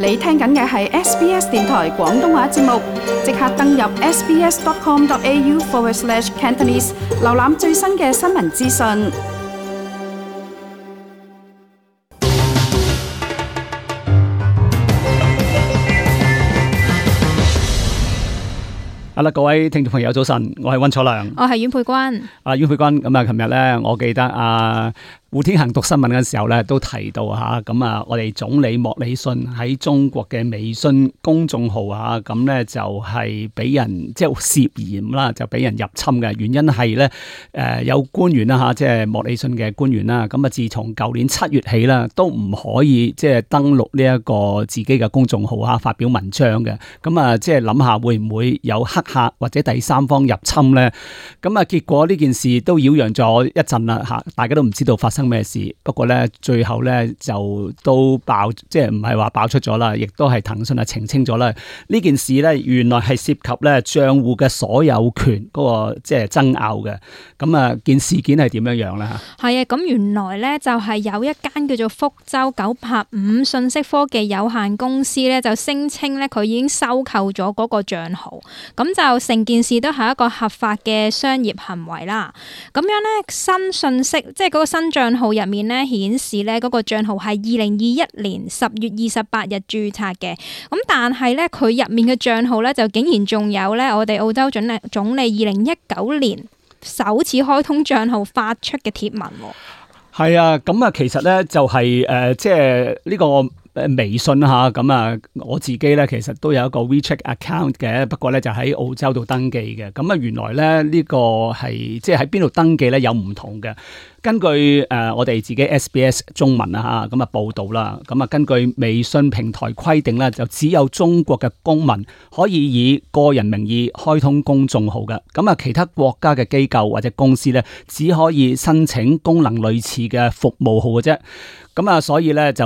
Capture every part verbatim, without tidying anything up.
你聽緊嘅係 S B S 電台廣東話節目，即刻登入 sbs.com.au forward slash Cantonese， 瀏覽最新嘅新聞資訊。好啦，各位聽眾朋友早晨，我係溫楚良，我係阮佩君。啊，阮佩君，咁啊，琴日咧，我記得啊。胡天行讀新聞嘅時候咧，都提到嚇，咁啊，我哋總理莫里遜喺中國嘅微信公眾號嚇，咁咧就係俾人即係涉嫌啦，就俾人入侵嘅原因係咧，誒有官員啦嚇，即係莫里遜嘅官員啦，咁啊，自從舊年七月起啦，都唔可以即係登錄呢一個自己嘅公眾號嚇，發表文章嘅，咁啊，即係諗下會唔會有黑客或者第三方入侵咧？咁啊，結果呢件事都擾攘咗一陣啦嚇，大家都唔知道發生咩事，不過咧最後咧就都爆，即係唔係話爆出咗啦，亦都係騰訊啊澄清咗啦。呢件事咧原來係涉及咧賬戶嘅所有權嗰個即係爭拗嘅。咁啊件事件係點樣樣咧？吓，係啊，咁原來咧就係有一間叫做福州九八五信息科技有限公司咧，就聲稱咧佢已經收購咗嗰個賬號，咁就成件事都係一個合法嘅商業行為啦。咁樣咧新信息，即係嗰個新賬號入面咧顯示咧嗰個賬號係二零二一年十月二十八日註冊嘅，咁但係咧佢入面嘅賬號咧就竟然仲有咧我哋澳洲總理總理二零一九年首次開通賬號發出嘅貼文。係啊，咁啊其實咧就係、是、誒、呃、即係呢、這個誒微信吓，咁啊我自己咧其實都有一個 WeChat account 嘅，不過咧就喺澳洲度登記嘅。咁啊原來咧呢、這個係即係喺邊度登記咧有唔同嘅。根據誒、呃、我哋自己 S B S 中文啊嚇咁啊報導啦，咁啊根據微信平台規定咧，就只有中國嘅公民可以以個人名義開通公眾號嘅，咁啊其他國家嘅機構或者公司咧，只可以申請功能類似嘅服務號嘅啫。咁啊，所以咧就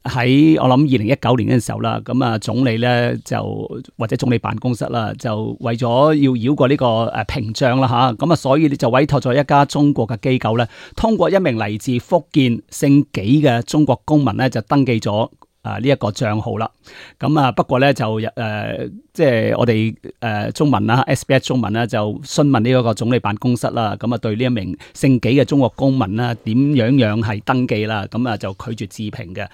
喺我諗二零一九年嘅時候啦，咁啊總理咧就或者總理辦公室啦，就為咗要繞過呢個誒屏障啦嚇，咁啊所以你就委託咗一家中國嘅機構咧，通過一名嚟自福建姓紀嘅中國公民咧，就登記咗啊呢一個賬號啦。咁啊不過咧就誒、呃、即係我哋誒、呃、中文啦 S B S 中文啦就詢問呢一個總理辦公室啦，咁啊對呢一名姓紀嘅中國公民啦點樣樣係登記啦，咁啊就拒絕置評嘅。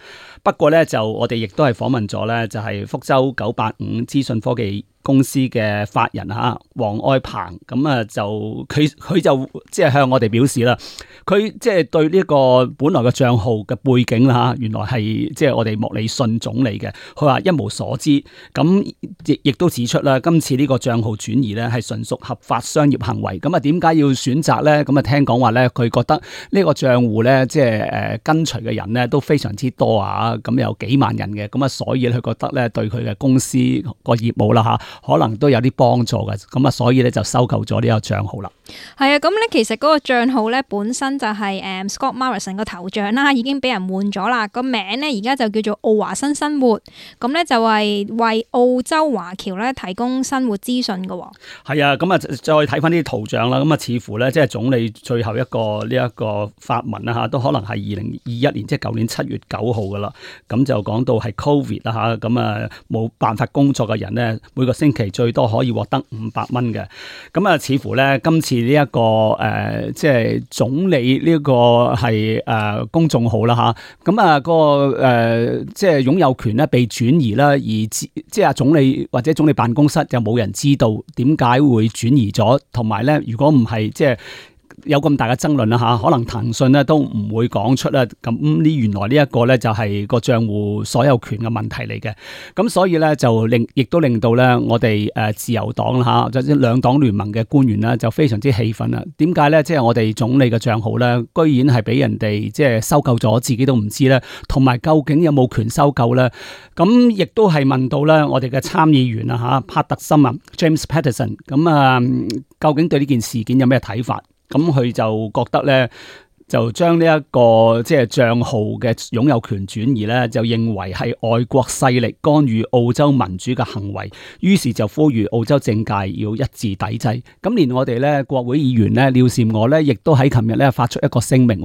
不過咧就我哋亦都係訪問咗咧，就係福州九八五資訊科技公司嘅法人吓黃愛鵬，咁啊就佢佢就即係向我哋表示啦，佢即係對呢個本來嘅賬號嘅背景啦吓，原來係即係我哋莫里遜總理嘅，佢話一無所知，咁亦亦都指出啦，今次呢個賬號轉移咧係純屬合法商業行為，咁啊點解要選擇咧？咁啊聽講話咧，佢覺得呢個賬戶咧即係誒跟隨嘅人咧都非常之多啊，咁有幾萬人嘅，咁啊所以佢覺得咧對佢嘅公司個業務啦吓，可能都有啲幫助嘅，咁啊所以咧就收購咗呢個賬號啦。係啊，咁咧其實嗰個賬號咧本身就係誒 Scott Morrison 個頭像啦，已經俾人換咗啦，個名咧而家就叫做澳華新生活，咁咧就係為澳洲華僑咧提供生活資訊嘅。係啊，咁啊再睇翻啲圖像啦，咁啊似乎咧即係總理最後一個呢一個發文啦吓，都可能係二零二一年即係舊年七月九號噶啦，咁就講到係 Covid 啦吓，咁啊冇辦法工作嘅人咧，每個星期最多可以獲得五百蚊嘅，咁啊似乎咧今次呢、這、一個誒、呃、即係總理呢個係誒、呃、公眾號啦吓，咁啊、那個誒、呃、即係擁有權咧被轉移啦，而即係啊總理或者總理辦公室就冇人知道點解會轉移咗，同埋咧如果唔係即係。有咁大嘅爭論啦吓，可能騰訊咧都唔會講出啦。咁呢原來呢一個咧就係個賬戶所有權嘅問題嚟嘅。咁所以咧就令亦都令到咧我哋誒自由黨啦吓，或者兩黨聯盟嘅官員咧就非常之氣憤啦。點解咧？即係我哋總理嘅賬號咧，居然係俾人哋即係收購咗，自己都唔知咧。同埋究竟有冇權收購咧？咁亦都係問到咧我哋嘅參議員啊吓，帕特森啊 James Patterson， 咁啊究竟對呢件事件有咩睇法？咁佢就覺得咧，就將呢一個即係賬號嘅擁有權轉移咧，就認為係外國勢力干預澳洲民主嘅行為，於是就呼籲澳洲政界要一致抵制。咁連我哋咧國會議員咧廖善娥咧，亦都喺琴日咧發出一個聲明。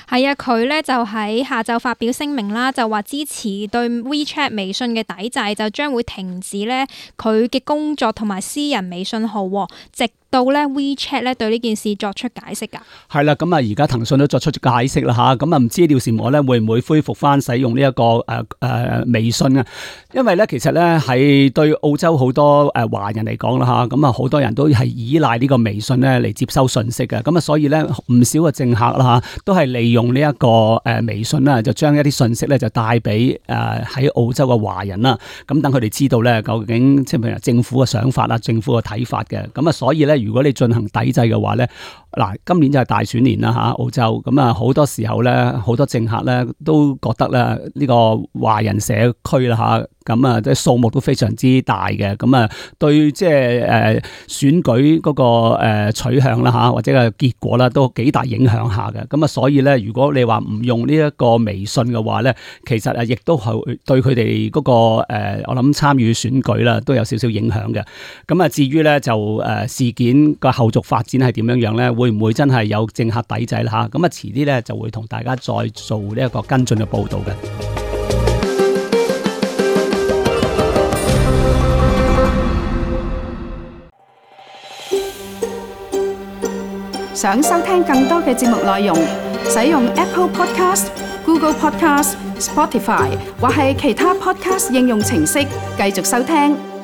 係啊，佢咧就喺下晝發表聲明啦，就話支持對 WeChat 微信嘅抵制，就將會停止咧佢嘅工作同埋私人微信號，直到咧 WeChat 咧對呢件事作出解釋噶。係啦，咁啊而家騰訊都作出咗解釋啦吓，咁啊唔知廖善娥咧會唔會恢復翻使用呢、這、一個誒誒、呃呃、微信啊？因為咧其實咧喺對澳洲好多誒華人嚟講啦吓，咁啊好多人都係依賴呢個微信咧嚟接收信息嘅，咁啊所以咧唔少嘅政客啦吓都係利用呢一個誒微信啦，就將一啲信息咧就帶俾誒喺澳洲嘅華人啦，咁等佢哋知道咧究竟即係譬如政府嘅想法啦、政府嘅睇法嘅，咁啊所以咧。如果你進行抵制嘅話咧，嗱，今年就係大選年啦嚇，澳洲咁啊，好多時候咧，好多政客咧都覺得咧呢個華人社區啦嚇。咁啊，即係數目都非常之大嘅，咁啊，對即係誒選舉嗰個誒取向啦嚇，或者個結果啦，都幾大影響下嘅。咁啊，所以咧，如果你話唔用呢一個微信嘅話咧，其實啊，亦都係對佢哋嗰個誒，我諗參與選舉啦，都有少少影響嘅。咁啊，至於咧就誒事件個後續發展係點樣樣咧，會唔會真係有政客抵制啦嚇？咁啊，遲啲咧就會同大家再做呢一個跟進嘅報導嘅。想收聽更多嘅節目內容，使用 Apple Podcast、Google Podcast、Spotify 或係其他 Podcast 應用程式繼續收聽。